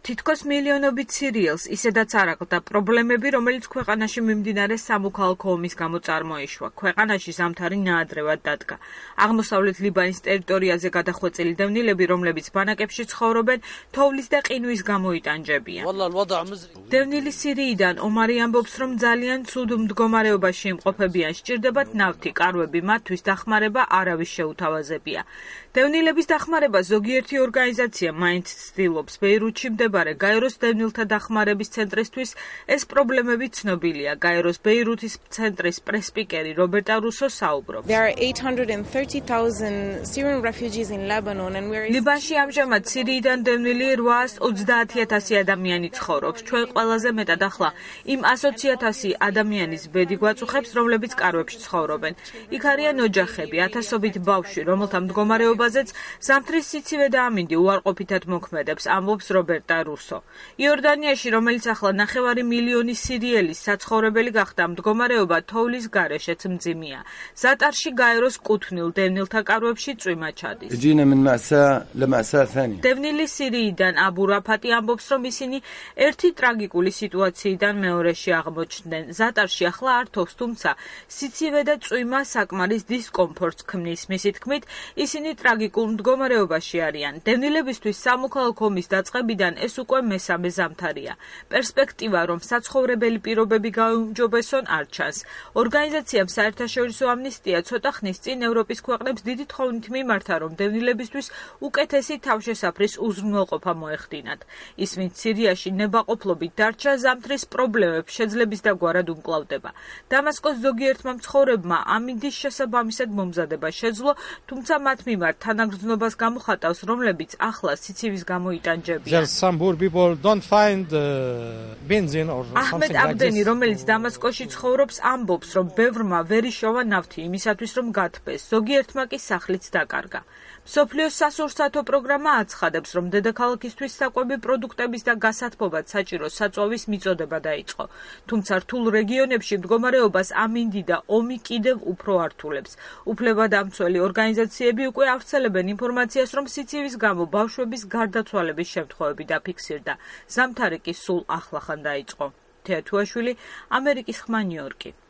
თითქოს მილიონობით სირიელს ისედაც არ აყდა პრობლემები, რომელიც ქვეყანაში მიმდინარე სამოქალაქო ომის გამო წარმოიშვა. ქვეყანაში ზამთარი ნაადრევად დადგა. აღმოსავლეთ ლიბანის ტერიტორიაზე გადახვეწილი დევნილები, რომლებიც ბანაკებში ცხოვრობენ, თოვლის და ყინვის გამო იტანჯებიან. დევნილი სირიიდან ომარი ამბობს, რომ ძალიან ცუდ მდგომარეობაში იმყოფებიან, სჭირდებათ ნავთი, კარვები, მათთვის დახმარება არავის შეუთავაზებია. დევნილების დახმარება ზოგიერთი ორგანიზაცია მაინც ცდილობს. ბეირუთში მდებარე გაეროს დევნილთა დახმარების ცენტრისთვის ეს პრობლემები ცნობილია. გაეროს ბეირუთის ცენტრის პრესპიკერი რობერტა რუსო საუბრობს. ლიბანში ამჟამად სირიიდან დევნილი 830,000 ადამიანი ცხოვრობს. ჩვენ ყველაზე მეტად ახლა იმ 120,000 ადამიანის ბედი გვაწუხებს, რომლებიც კარვებში ცხოვრობენ. იქ არიან ოჯახები, ათასობით ბავშვი, რომელთა მდგომარეობაზეც ზამთრის სიცივე და ამინდი უარყოფითად მოქმედებს, ამბობს რობერტა რუსო. იორდანიაში, რომელიც ახლა 9 მილიონი სირიელის საცხოვრებელი გახდა, მდგომარეობა თოვლის გარეშეც მძიმეა. ზატარში გაეროს კუთვნილ დევნილთა კარვებში წვიმა ჩადის. დევნილი სირიიდან აბუ რაფატი ამბობს, რომ ისინი ერთი ტრაგიკული სიტუაციიდან მეორეში აღმოჩნდნენ. ზატარში ახლა არ თოვს, თუმცა სიცივე და წვიმა საკმარის დისკომფორტს ქმნის. მისი თქმით, ისინი ტრაგიკულ მდგომარეობაში არიან. დევნილებისთვის სამოქალაქო ომის დაწყებიდან ეს უკვე მესამე ზამთარია. პერსპექტივა, რომ საცხოვრებელი პირობები გაუმჯობესონ, არ ჩანს. ორგანიზაციამ საერთაშორისო ამნისტია ცოტა ხნის წინ ევროპის ქვეყნებს დიდი თხოვნით მიმართა, რომ დევნილებისთვის უკეთესი თავშესაფრის უზრუნველყოფა მოეხდინათ. ის, ვინც სირიაში ნებაყოფლობით დარჩა, ზამთრის პრობლემებს შეძლების დაგვარად უმკლავდება. დამასკოს ზოგიერთმა მცხოვრებმა ამინდის შესაბამისად მომზადება შეძლო, თუმცა მათ მიმართ თანაგრძნობას გამოხატავს, რომლებიც ახლა სიცივის გამო იტანჯებიან. აჰმედ აბდენი, რომელიც დამასკოში ცხოვრობს, ამბობს, რომ ბევრმა ვერ იშოვა ნავთი იმისათვის, რომ გათბეს, ზოგიერთმა კი სახლიც დაკარგა. მსოფლიოს სასურსათო პროგრამა აცხადებს, რომ დედაქალაქისთვის საკვები პროდუქტების და გასათბობად საჭირო საწვავის მიწოდება დაიწყო. თუმცა რთულ რეგიონებში მდგომარეობას ამინდი და ომი კიდევ უფრო ართულებს. უფლებადამცველი ორგანიზაციები უკვე ავრცელებენ ინფორმაციას, რომ სიცივის გამო ბავშვების გარდაცვალების შემთხვევები დაფიქსირდა. ზამთარი კი სულ ახლახან დაიწყო. თეათუაშვილი, ამერიკის ხმა, ნიუ-იორკი.